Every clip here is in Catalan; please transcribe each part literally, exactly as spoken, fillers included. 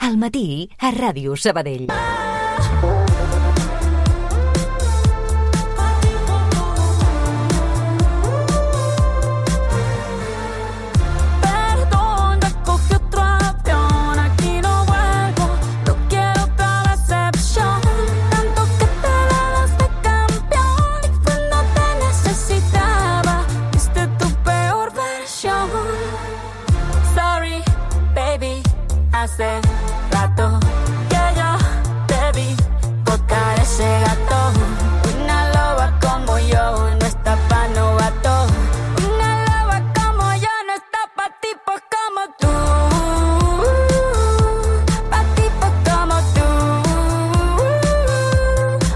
Al matí, a Ràdio Sabadell. Hace rato que yo te vi tocar ese gato. Una loba como yo no está pa' novato. Una loba como yo no está pa' tipos como tú. Pa' tipos como tú.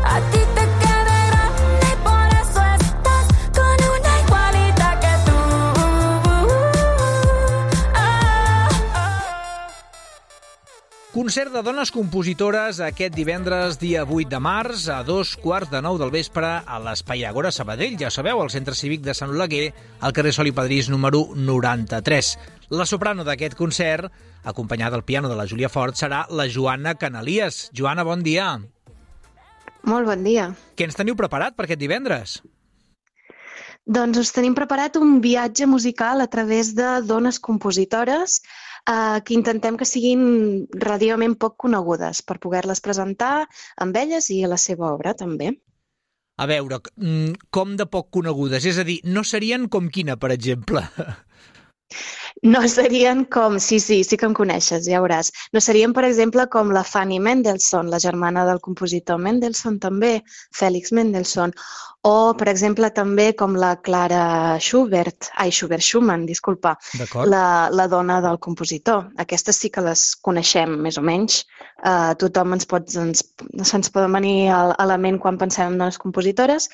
A ti te queda grande y por eso estás con una igualita que tú. Concert de dones compositores aquest divendres, dia vuit de març, a dos quarts de nou del vespre, a l'Espai Agora Sabadell. Ja sabeu, al Centre Cívic de Sant Oleguer, al carrer Sol i Padrís número noranta-tres. La soprano d'aquest concert, acompanyada al piano de la Júlia Fort, serà la Joana Canalies. Joana, bon dia. Molt bon dia. Què ens teniu preparat per aquest divendres? Doncs us tenim preparat un viatge musical a través de dones compositores eh, que intentem que siguin relativament poc conegudes per poder-les presentar amb elles i a la seva obra també. A veure, com de poc conegudes? És a dir, no serien com quina, per exemple? No serien com... Sí, sí, sí que em coneixes, ja veuràs. No serien, per exemple, com la Fanny Mendelssohn, la germana del compositor Mendelssohn també, Félix Mendelssohn, o, per exemple, també com la Clara Schubert, ai, Schubert Schumann, disculpa, la, la dona del compositor. Aquestes sí que les coneixem, més o menys. Uh, tothom ens pot, ens, ens poden venir a, a la ment quan pensem en dones compositores,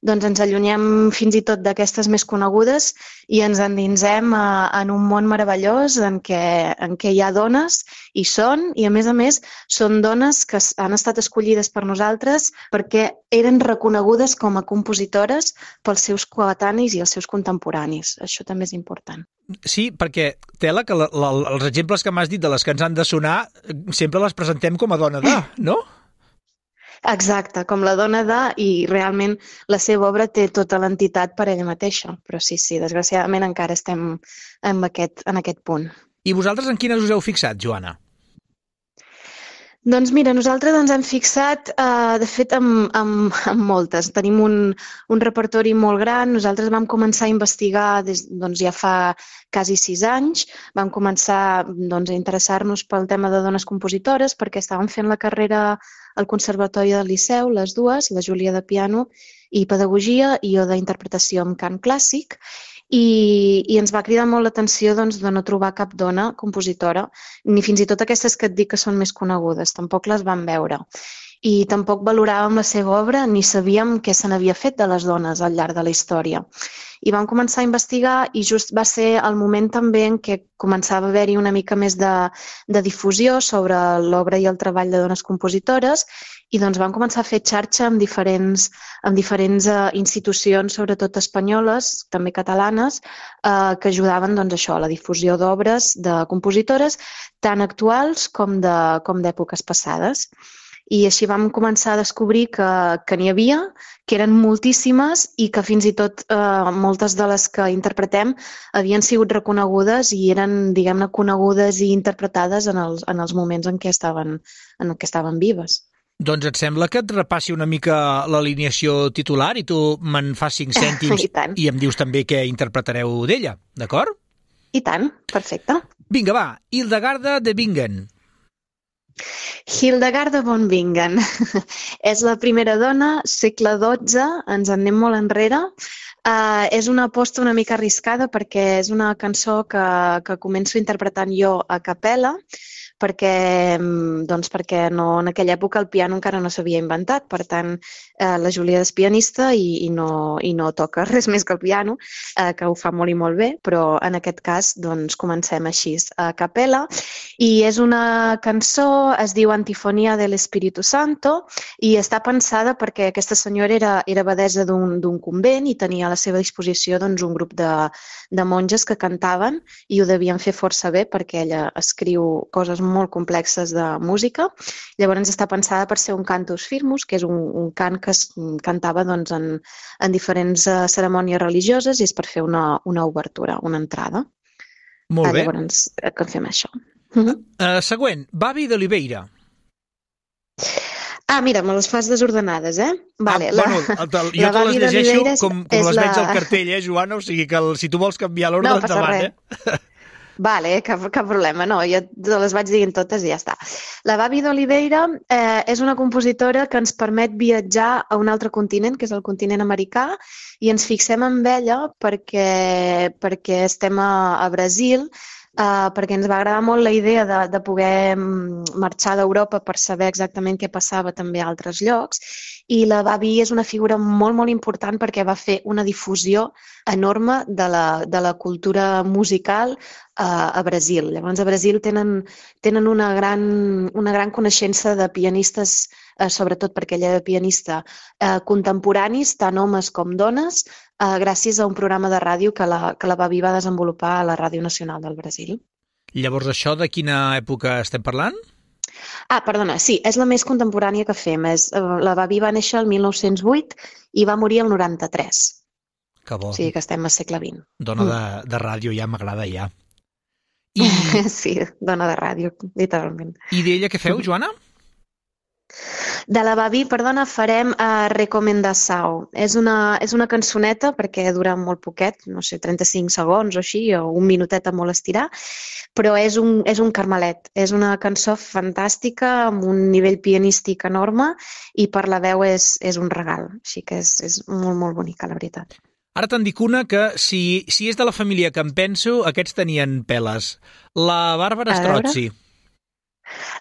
doncs ens allunyem fins i tot d'aquestes més conegudes i ens endinsem a, en un món meravellós en què, en què hi ha dones, i són, i a més a més són dones que han estat escollides per nosaltres perquè eren reconegudes com a compositores pels seus coetanis i els seus contemporanis. Això també és important. Sí, perquè, Tela, que la, la, els exemples que m'has dit de les que ens han de sonar sempre les presentem com a dona de, no? Exacte, com la dona de, i realment la seva obra té tota l'entitat per ella mateixa. Però sí, sí, desgraciadament encara estem en aquest, en aquest punt. I vosaltres en quines us heu fixat, Joana? Doncs mira, nosaltres ens hem fixat, eh, de fet, amb, amb, amb moltes. Tenim un, un repertori molt gran. Nosaltres vam començar a investigar des, doncs, ja fa quasi sis anys. Vam començar doncs, a interessar-nos pel tema de dones compositores perquè estàvem fent la carrera al Conservatori del Liceu, les dues, la Júlia de piano i pedagogia i jo d'interpretació amb cant clàssic. I, i ens va cridar molt l'atenció doncs, de no trobar cap dona compositora, ni fins i tot aquestes que et dic que són més conegudes, tampoc les vam veure. I tampoc valoràvem la seva obra ni sabíem què se n'havia fet de les dones al llarg de la història. I vam començar a investigar i just va ser el moment també en què començava a haver-hi una mica més de, de difusió sobre l'obra i el treball de dones compositores i doncs vam començar a fer xarxa amb diferents, amb diferents uh, institucions, sobretot espanyoles, també catalanes, uh, que ajudaven doncs, això, a la difusió d'obres de compositores tant actuals com de, com d'èpoques passades. I així vam començar a descobrir que, que n'hi havia, que eren moltíssimes i que fins i tot eh, moltes de les que interpretem havien sigut reconegudes i eren, diguem-ne, conegudes i interpretades en els, en els moments en què estaven, en què estaven vives. Doncs et sembla que et repassi una mica l'alineació titular i tu me'n fas cinc cèntims i, i em dius també què interpretareu d'ella, d'acord? I tant, perfecte. Vinga, va, Hildegarda de Bingen. Hildegarda von Bingen és la primera dona, segle dotze, ens en anem molt enrere. Uh, és una aposta una mica arriscada perquè és una cançó que, que començo interpretant jo a capella, perquè, doncs perquè no, en aquella època el piano encara no s'havia inventat, per tant eh, la Júlia és pianista i, i, no, i no toca res més que el piano, eh, que ho fa molt i molt bé, però en aquest cas doncs, comencem així a capella i és una cançó, es diu Antifonia del Espíritu Santo i està pensada perquè aquesta senyora era, era abadessa d'un convent i tenia a la seva disposició doncs, un grup de, de monges que cantaven i ho devien fer força bé perquè ella escriu coses molt molt complexes de música. Llavors està pensada per ser un cantus firmus, que és un, un cant que es cantava doncs, en, en diferents uh, cerimònies religioses i és per fer una, una obertura, una entrada. Molt uh, bé. Llavors, uh, que fem això. Uh, uh, següent, Babi d'Oliveira. Ah, mira, me les fas desordenades, eh? Vale, ah, la, bueno, el, el, jo te les llegeixo com, com les la... veig al cartell, eh, Joana? O sigui que el, si tu vols canviar l'ordre, no, endavant, eh? Vale, cap, cap problema, no, jo les vaig dient totes i ja està. La Babi d'Oliveira eh, és una compositora que ens permet viatjar a un altre continent, que és el continent americà, i ens fixem en ella perquè, perquè estem a, a Brasil, Uh, perquè ens va agradar molt la idea de, de poder marxar d'Europa per saber exactament què passava també a altres llocs, i la Babi és una figura molt, molt important perquè va fer una difusió enorme de la, de la cultura musical uh, a Brasil. Llavors a Brasil tenen, tenen una, gran, una gran coneixença de pianistes, uh, sobretot perquè ella era pianista, uh, contemporanis, tant homes com dones, Uh, gràcies a un programa de ràdio que la, que la Babi va desenvolupar a la Ràdio Nacional del Brasil. Llavors, això de quina època estem parlant? Ah, perdona, sí, és la més contemporània que fem. És, uh, la Babi va néixer el mil nou-cents vuit i va morir el noranta-tres. Que bo. O sigui que estem al segle vint. Dona de, de ràdio, ja m'agrada, ja. I... Sí, dona de ràdio, literalment. I d'ella què feu, Joana? De la Babi, perdona, farem uh, Recomendação. És una, és una cançoneta, perquè dura molt poquet, no sé, trenta-cinc segons o així, o un minutet a molt estirar, però és un, és un carmelet. És una cançó fantàstica, amb un nivell pianístic enorme, i per la veu és, és un regal. Així que és, és molt, molt bonica, la veritat. Ara te'n dic una que, si, si és de la família que em penso, aquests tenien peles. La Bàrbara Strozzi.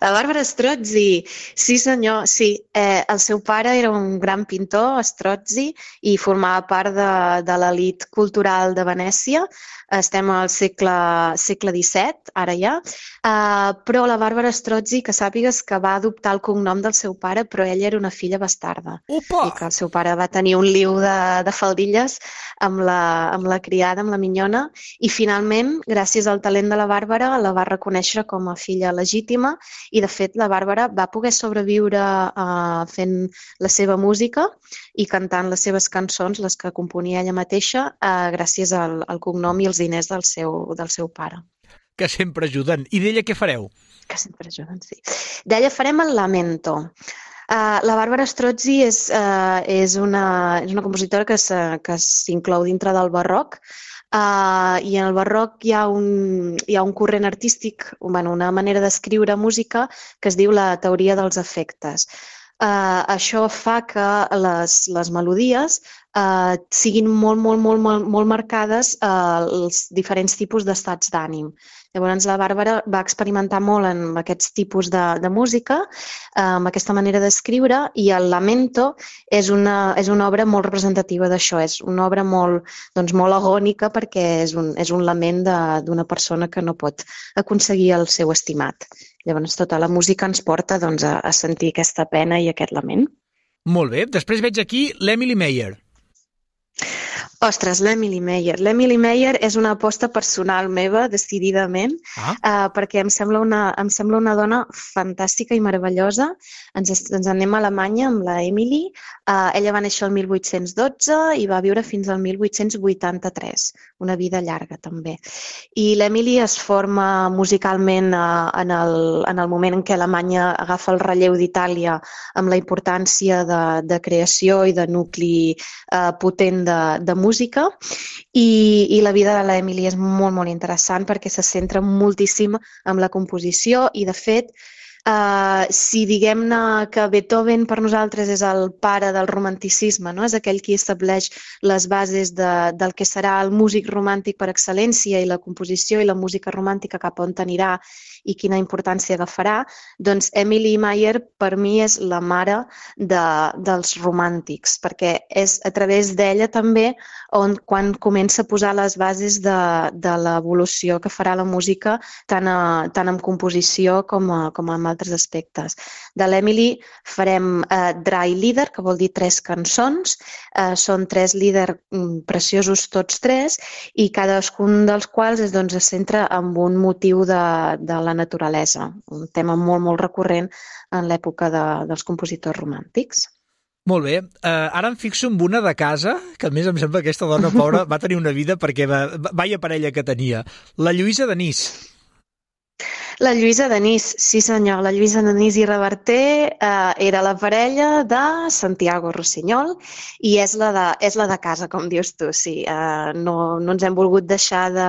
La Bàrbara Strozzi, sí senyor, sí. Eh, el seu pare era un gran pintor, Strozzi, i formava part de, de l'elit cultural de Venècia. Estem al segle, segle disset, ara ja. Uh, però la Bàrbara Strozzi, que sàpigues que va adoptar el cognom del seu pare, però ella era una filla bastarda. Opa! I que el seu pare va tenir un liu de, de faldilles amb la, amb la criada, amb la minyona, i finalment, gràcies al talent de la Bàrbara, la va reconèixer com a filla legítima, i de fet la Bàrbara va poder sobreviure uh, fent la seva música i cantant les seves cançons, les que componia ella mateixa, uh, gràcies al, al cognom i els diners del seu, del seu pare. Que sempre ajuden. I d'ella què fareu? Que sempre ajuden, sí. D'ella farem el Lamento. Uh, la Bàrbara Strozzi és, uh, és, una, és una compositora que s'inclou dintre del barroc, uh, i en el barroc hi ha un, hi ha un corrent artístic, bueno, una manera d'escriure música que es diu la teoria dels efectes. Uh, això fa que les, les melodies uh, siguin molt, molt, molt, molt, molt marcades uh, els diferents tipus d'estats d'ànim. Llavors la Bàrbara va experimentar molt en aquests tipus de, de música, amb aquesta manera d'escriure, i el Lamento és una, és una obra molt representativa d'això, és una obra molt, doncs, molt agònica perquè és un, és un lament d'una persona que no pot aconseguir el seu estimat. Llavors tota la música ens porta doncs, a, a sentir aquesta pena i aquest lament. Molt bé. Després veig aquí l'Emily Meyer. Ostres, l'Emily Meyer. L'Emily Meyer és una aposta personal meva, decididament, ah. uh, perquè em sembla, una, em sembla una dona fantàstica i meravellosa. Ens, ens anem a Alemanya amb la Emily. Uh, ella va néixer el mil vuit-cents dotze i va viure fins al mil vuit-cents vuitanta-tres. Una vida llarga, també. I l'Emily es forma musicalment uh, en, el, en el moment en què Alemanya agafa el relleu d'Itàlia amb la importància de, de creació i de nucli uh, potent de, de música. música i, i la vida de l'Emily és molt, molt interessant perquè se centra moltíssim en la composició i, de fet, Uh, si diguem-ne que Beethoven per nosaltres és el pare del romanticisme, no? És aquell qui estableix les bases de, del que serà el músic romàntic per excel·lència i la composició i la música romàntica cap on anirà i quina importància agafarà, doncs Emily Meyer per mi és la mare de, dels romàntics, perquè és a través d'ella també on quan comença a posar les bases de, de l'evolució que farà la música tant, a, tant en composició com, a, com en altres aspectes. De l'Emily farem eh, Drei Lieder, que vol dir tres cançons. Eh, són tres líders mm, preciosos tots tres i cadascun dels quals es, doncs, es centra en un motiu de, de la naturalesa, un tema molt, molt recurrent en l'època de, dels compositors romàntics. Molt bé. Uh, ara em fixo en una de casa, que a més em sembla que aquesta dona pobra va tenir una vida perquè va, vaya parella que tenia. La Lluïsa Denís. La Lluïsa Denís, sí senyor, la Lluïsa Denís i Reverter eh, era la parella de Santiago Rossinyol i és la de, és la de casa, com dius tu, sí. Eh, no, no ens hem volgut deixar de,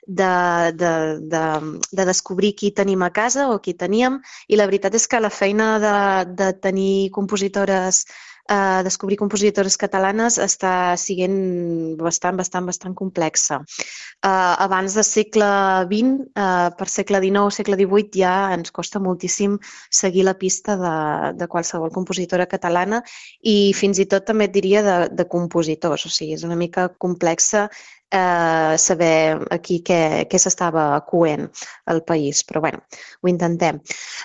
de, de, de, de descobrir qui tenim a casa o qui teníem, i la veritat és que la feina de, de tenir compositores Uh, descobrir compositores catalanes està sent bastant, bastant, bastant complexa. Uh, abans del segle vint, uh, per segle dinou, segle divuit, ja ens costa moltíssim seguir la pista de, de qualsevol compositora catalana i fins i tot també et diria de, de compositors. O sigui, és una mica complexa eh, saber aquí què, què s'estava coent al país, però bueno, ho intentem.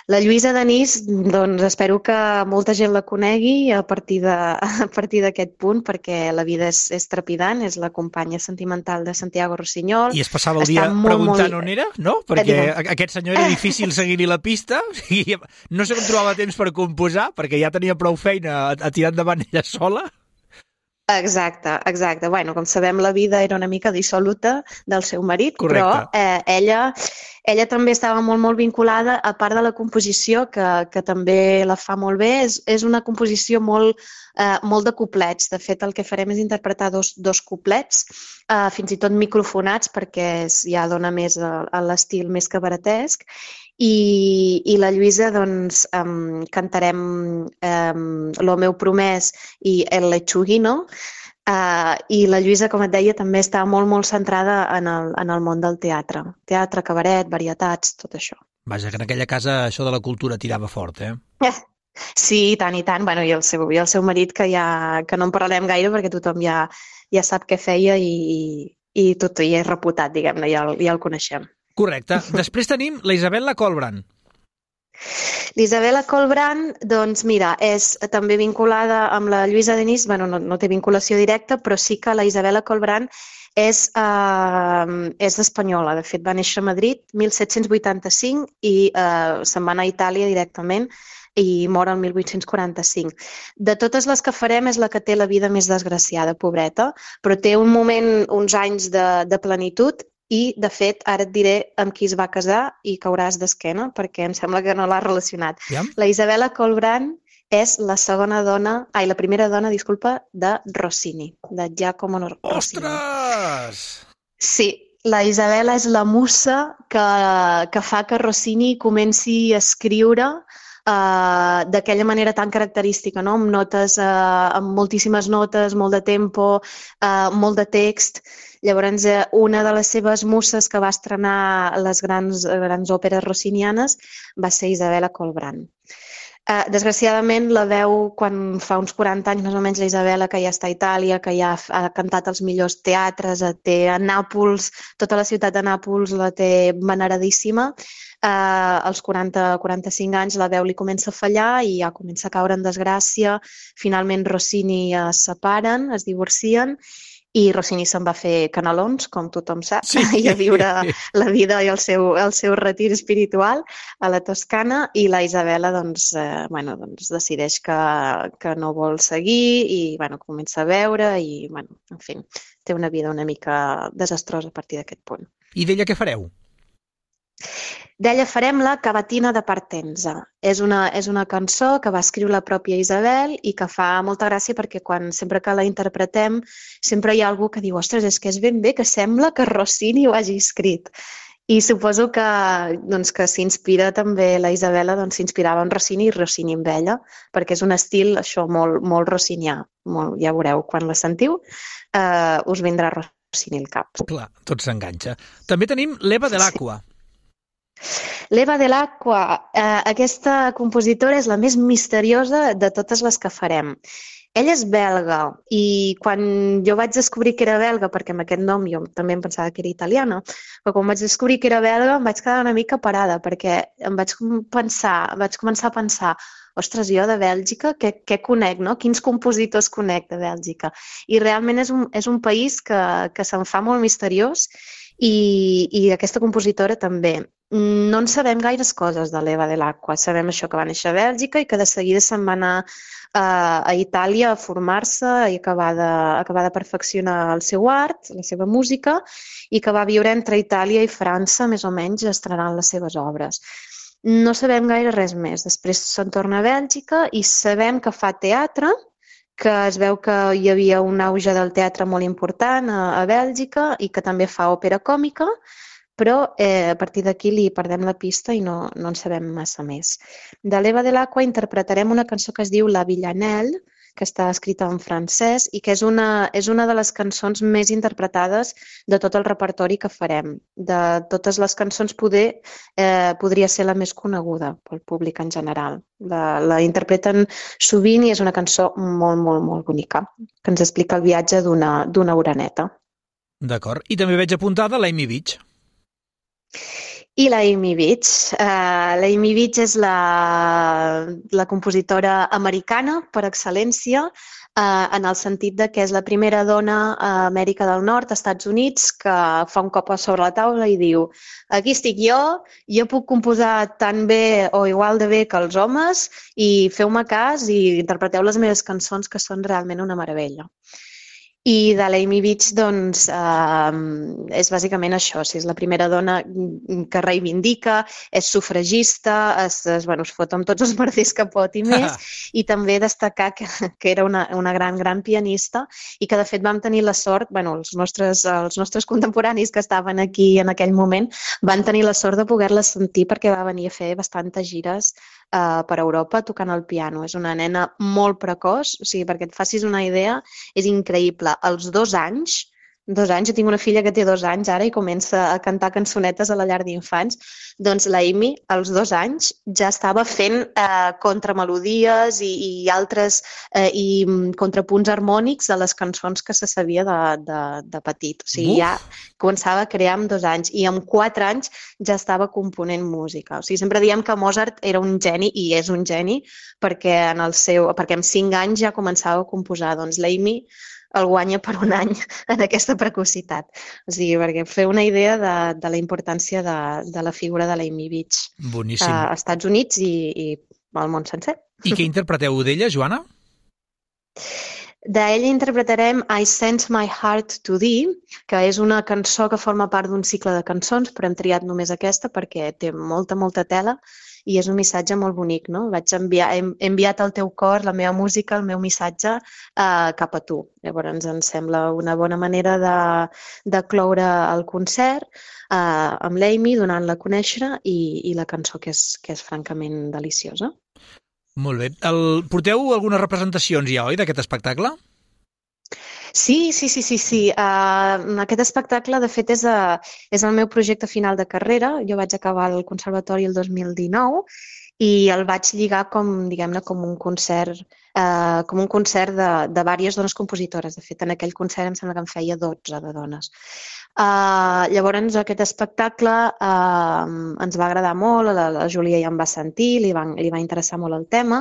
La Lluïsa Denís, doncs espero que molta gent la conegui a partir de, a partir d'aquest punt, perquè la vida és, és trepidant, és la companya sentimental de Santiago Rossinyol. I es passava el dia molt, preguntant molt... on era, no? Perquè aquest senyor era difícil seguir-li la pista i no sé com trobava temps per composar, perquè ja tenia prou feina a, a tirar endavant ella sola. Exacte, exacte. Bueno, com sabem, la vida era una mica dissoluta del seu marit, correcte, però eh, ella, ella també estava molt, molt vinculada, a part de la composició, que, que també la fa molt bé, és, és una composició molt, eh, molt de couplets. De fet, el que farem és interpretar dos, dos couplets, eh, fins i tot microfonats, perquè és, ja dona més a, a l'estil més cabaretesc, i, i la Lluïsa doncs um, cantarem um, Lo meu promès i El lechuguino, uh, i la Lluïsa, com et deia, també està molt molt centrada en el, en el món del teatre. Teatre, cabaret, varietats, tot això. Vaja, que en aquella casa això de la cultura tirava fort, eh? Eh, sí, i tant, i tant. Bueno, i el seu, i el seu marit, que, ja, que no en parlarem gaire perquè tothom ja, ja sap què feia i, i tot i és reputat, diguem-ne, ja, el, ja el coneixem. Correcte. Després tenim la Isabel·la Colbrand. L'Isabel·la Colbrand, doncs mira, és també vinculada amb la Lluïsa Denís, bueno, no, no té vinculació directa, però sí que la Isabel·la Colbrand és, eh, és espanyola. De fet, va néixer a Madrid mil set-cents vuitanta-cinc i eh, se'n va anar a Itàlia directament i mor el mil vuit-cents quaranta-cinc. De totes les que farem és la que té la vida més desgraciada, pobreta, però té un moment, uns anys de, de plenitud. I, de fet, ara et diré amb qui es va casar i cauràs d'esquena, perquè em sembla que no l'ha relacionat. Ja? La Isabel·la Colbrand és la segona dona, ai, la primera dona, disculpa, de Rossini, de Giacomo Rossini. Ostres! Sí, la Isabel·la és la musa que, que fa que Rossini comenci a escriure uh, d'aquella manera tan característica, no? Amb notes, uh, amb moltíssimes notes, molt de tempo, uh, molt de text. Llavors, una de les seves muses que va estrenar les grans, grans òperes rossinianes va ser Isabel·la Colbrand. Eh, desgraciadament, la veu quan fa uns quaranta anys, més o menys, la Isabel·la, que ja està a Itàlia, que ja ha cantat als millors teatres, té a Nàpols, tota la ciutat de Nàpols la té veneradíssima. Eh, als quaranta a quaranta-cinc anys la veu li comença a fallar i ja comença a caure en desgràcia. Finalment, Rossini es separen, es divorcien, i Rossini se'n va fer canelons, com tothom sap, sí. I a viure la vida i el seu, el seu retir espiritual a la Toscana, i la Isabel·la doncs, eh, bueno, doncs decideix que, que no vol seguir i bueno, comença a veure i, bueno, en fi, té una vida una mica desastrosa a partir d'aquest punt. I d'ella què fareu? D'ella farem la Cavatina de Partenza. És una, és una cançó que va escriure la pròpia Isabel i que fa molta gràcia perquè quan sempre que la interpretem sempre hi ha algú que diu ostres, és que és ben bé que sembla que Rossini ho hagi escrit. I suposo que, doncs, que s'inspira també la Isabel·la, doncs s'inspirava en Rossini i Rossini amb ella, perquè és un estil això molt, molt rossinià. Molt, ja veureu, quan la sentiu eh, us vindrà Rossini al cap. Clar, tot s'enganxa. També tenim l'Eva de l'Aqua. Sí. L'Eva de l'Aqua, eh, aquesta compositora és la més misteriosa de totes les que farem. Ella és belga i quan jo vaig descobrir que era belga, perquè amb aquest nom jo també em pensava que era italiana, però quan vaig descobrir que era belga em vaig quedar una mica parada perquè em vaig pensar, vaig començar a pensar ostres, jo de Bèlgica, què, què conec, no? Quins compositors conec de Bèlgica? I realment és un, és un país que, que se'n fa molt misteriós i, i aquesta compositora també. No en sabem gaires coses de l'Eva de l'Aqua. Sabem això, que va néixer a Bèlgica i que de seguida se'n va anar a, a Itàlia a formar-se i acabar de, acabar de perfeccionar el seu art, la seva música, i que va viure entre Itàlia i França, més o menys, estrenant les seves obres. No sabem gaire res més. Després se'n torna a Bèlgica i sabem que fa teatre, que es veu que hi havia un auge del teatre molt important a, a Bèlgica i que també fa òpera còmica, però eh, a partir d'aquí li perdem la pista i no, no en sabem massa més. De l'Eva de l'Aqua interpretarem una cançó que es diu La Villanelle, que està escrita en francès i que és una, és una de les cançons més interpretades de tot el repertori que farem. De totes les cançons poder, eh, podria ser la més coneguda pel públic en general. La, la interpreten sovint i és una cançó molt, molt, molt bonica, que ens explica el viatge d'una d'una oreneta. D'acord. I també veig apuntada l'Amy Beach. I la Amy Beach. Uh, la Amy Beach és la, la compositora americana per excel·lència, uh, en el sentit de que és la primera dona a Amèrica del Nord, als Estats Units, que fa un cop sobre la taula i diu: aquí estic jo, jo puc composar tan bé o igual de bé que els homes i feu-me cas i interpreteu les meves cançons, que són realment una meravella. I de l'Amy Beach, doncs, eh, és bàsicament això. O sigui, és la primera dona que reivindica, és sufragista, es, es, bueno, es fot amb tots els merders que pot i més, i també destacar que, que era una, una gran, gran pianista i que, de fet, vam tenir la sort, bueno, els nostres, els nostres contemporanis que estaven aquí en aquell moment van tenir la sort de poder-la sentir perquè va venir a fer bastantes gires Uh, per Europa tocant el piano. És una nena molt precoç, o sigui, perquè et facis una idea, és increïble. Als dos anys, dos anys, jo tinc una filla que té dos anys ara i comença a cantar cançonetes a la llar d'infants, doncs la Amy, als dos anys, ja estava fent eh, contramelodies i, i altres eh, i contrapunts harmònics a les cançons que se sabia de, de, de petit. O sigui, Uf. ja començava a crear amb dos anys i amb quatre anys ja estava component música. O sigui, sempre diem que Mozart era un geni i és un geni perquè, en el seu, perquè amb cinc anys ja començava a composar. Doncs l'Amy el guanya per un any en aquesta precocitat. O sigui, perquè fer una idea de, de la importància de, de la figura de l'Amy Beach Boníssim. a Estats Units i, i al món sencer. I què interpreteu d'ella, Joana? D'ella interpretarem I Sent My Heart to Thee, que és una cançó que forma part d'un cicle de cançons, però hem triat només aquesta perquè té molta, molta tela i és un missatge molt bonic, no? Vaig enviar, he enviat al teu cor la meva música, el meu missatge eh, cap a tu. Llavors ens sembla una bona manera de, de cloure el concert eh, amb l'Amy, donant-la a conèixer i, i la cançó que és, que és francament deliciosa. Molt bé. El, porteu algunes representacions ja, oi, d'aquest espectacle? Sí, sí, sí, sí, sí. Uh, aquest espectacle, de fet, és, a, és el meu projecte final de carrera. Jo vaig acabar el conservatori el dos mil dinou i el vaig lligar com, diguem-ne, com un concert, uh, com un concert de, de diverses dones compositores. De fet, en aquell concert em sembla que en feia dotze de dones. Uh, llavors, aquest espectacle uh, ens va agradar molt, la, la Júlia ja em va sentir, li va, li va interessar molt el tema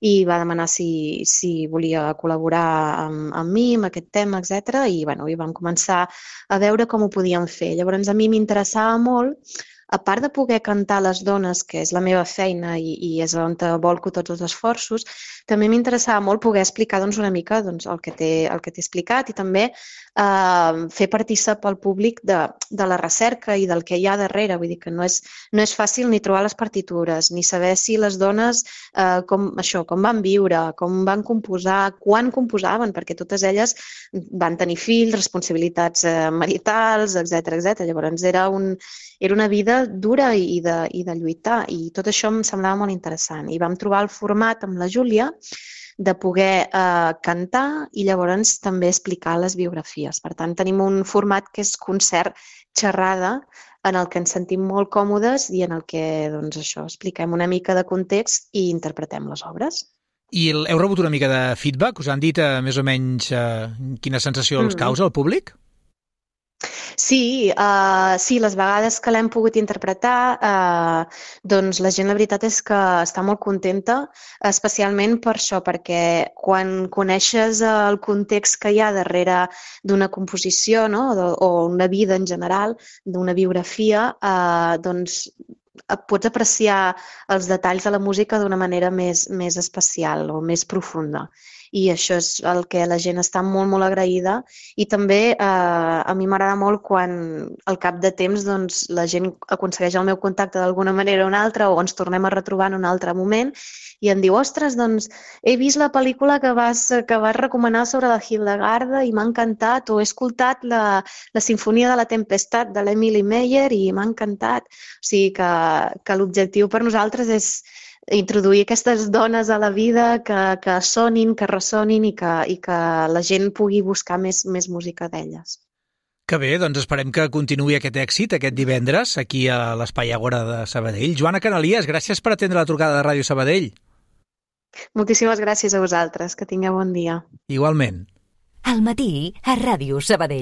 i va demanar si, si volia col·laborar amb, amb mi, amb aquest tema, etcètera. I, bueno, i vam començar a veure com ho podíem fer. Llavors, a mi m'interessava molt, a part de poder cantar les dones, que és la meva feina i, i és on volco tots els esforços, també m'interessava molt poder explicar doncs, una mica doncs, el que t'he el que t'he explicat i també eh, fer partícip al públic de, de la recerca i del que hi ha darrere. Vull dir que no és, no és fàcil ni trobar les partitures, ni saber si les dones eh, com, això, com van viure, com van composar, quan composaven, perquè totes elles van tenir fills, responsabilitats eh, maritals, etcètera, etcètera. Llavors era, un, era una vida dura i de, i de lluitar i tot això em semblava molt interessant. I vam trobar el format amb la Júlia de poder eh, cantar i llavors també explicar les biografies. Per tant, tenim un format que és concert xerrada en el que ens sentim molt còmodes i en el que doncs, això expliquem una mica de context i interpretem les obres. I heu rebut una mica de feedback? Us han dit eh, més o menys eh, quina sensació els causa al públic? Sí, uh, sí, les vegades que l'hem pogut interpretar, uh, doncs la gent la veritat és que està molt contenta, especialment per això, perquè quan coneixes el context que hi ha darrere d'una composició, no? o, o una vida en general, d'una biografia, uh, doncs pots apreciar els detalls de la música d'una manera més, més especial o més profunda. I això és el que la gent està molt, molt agraïda. I també eh, a mi m'agrada molt quan al cap de temps doncs, la gent aconsegueix el meu contacte d'alguna manera o una altra o ens tornem a retrobar en un altre moment i em diu, ostres, doncs he vist la pel·lícula que vas, que vas recomanar sobre la Hildegarda i m'ha encantat, o he escoltat la, la Sinfonia de la Tempestat de l'Emily Meyer i m'ha encantat. O sigui que, que l'objectiu per nosaltres és introduir aquestes dones a la vida que, que sonin, que ressonin i que, i que la gent pugui buscar més, més música d'elles. Que bé, doncs esperem que continuï aquest èxit aquest divendres aquí a l'Espai Agora de Sabadell. Joana Canalies, gràcies per atendre la trucada de Ràdio Sabadell. Moltíssimes gràcies a vosaltres, que tingueu bon dia. Igualment. Al matí a Ràdio Sabadell.